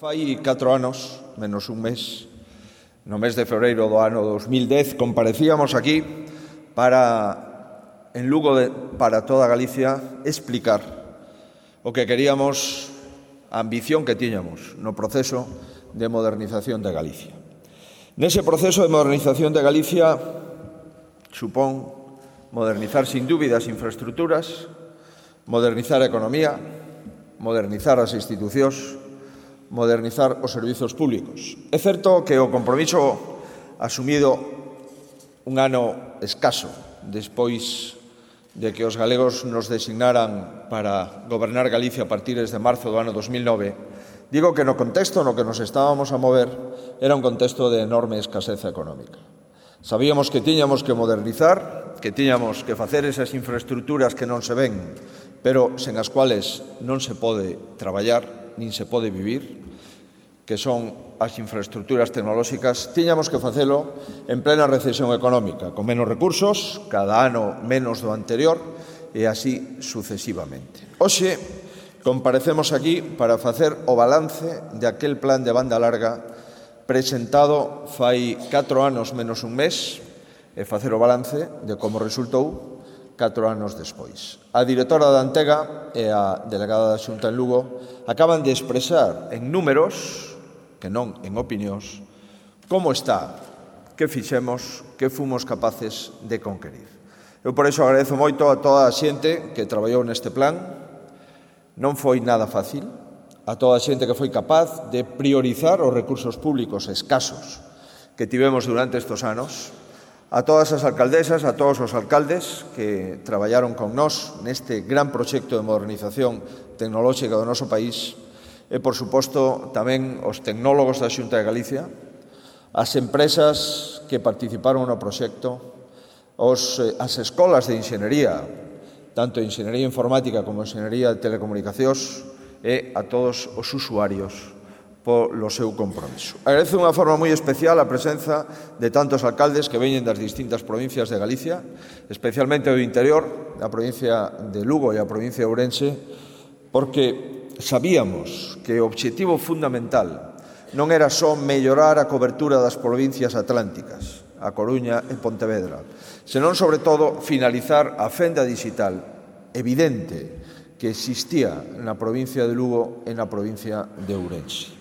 Fai 4 anos, menos un mes, no mes de febreiro do ano 2010, comparecíamos aquí en Lugo para toda Galicia, explicar o que queríamos, a ambición que tiñamos no proceso de modernización de Galicia. Nese proceso de modernización de Galicia supón modernizar sin dúbida as infraestructuras, modernizar a economía, modernizar as institucións, modernizar os servizos públicos. É certo que o compromiso asumido un ano escaso despois de que os galegos nos designaran para gobernar Galicia a partir de marzo do ano 2009, digo que no contexto no que nos estábamos a mover era un contexto de enorme escaseza económica. Sabíamos que tiñamos que modernizar, que tiñamos que facer esas infraestructuras que non se ven, pero sen as cuales non se pode traballar, nin se pode vivir, que son as infraestructuras tecnolóxicas, tiñamos que facelo en plena recesión económica, con menos recursos, cada ano menos do anterior, e así sucesivamente. Hoxe comparecemos aquí para facer o balance de aquel plan de banda larga presentado fai 4 anos menos un mes, e facer o balance de como resultou 4 anos despois. A directora da Antega e a delegada da Xunta en Lugo acaban de expresar en números, que non en opinións, como está, que fixemos, que fomos capaces de conquerir. Eu por iso agradezo moito a toda a xente que traballou neste plan. Non foi nada fácil, a toda a xente que foi capaz de priorizar os recursos públicos escasos que tivemos durante estes anos, a todas as alcaldesas, a todos os alcaldes que traballaron con nós neste gran proxecto de modernización tecnolóxica do noso país e, por suposto, tamén os tecnólogos da Xunta de Galicia, as empresas que participaron no proxecto, as escolas de enxenería, tanto enxenería informática como enxenería de telecomunicacións, e a todos os usuarios polo seu compromiso. Agradezo de unha forma moi especial a presenza de tantos alcaldes que veñen das distintas provincias de Galicia, especialmente do interior, da provincia de Lugo e a provincia de Ourense, porque sabíamos que o obxectivo fundamental non era só mellorar a cobertura das provincias atlánticas, a Coruña e Pontevedra, senón, sobre todo, finalizar a fenda digital evidente que existía na provincia de Lugo e na provincia de Ourense.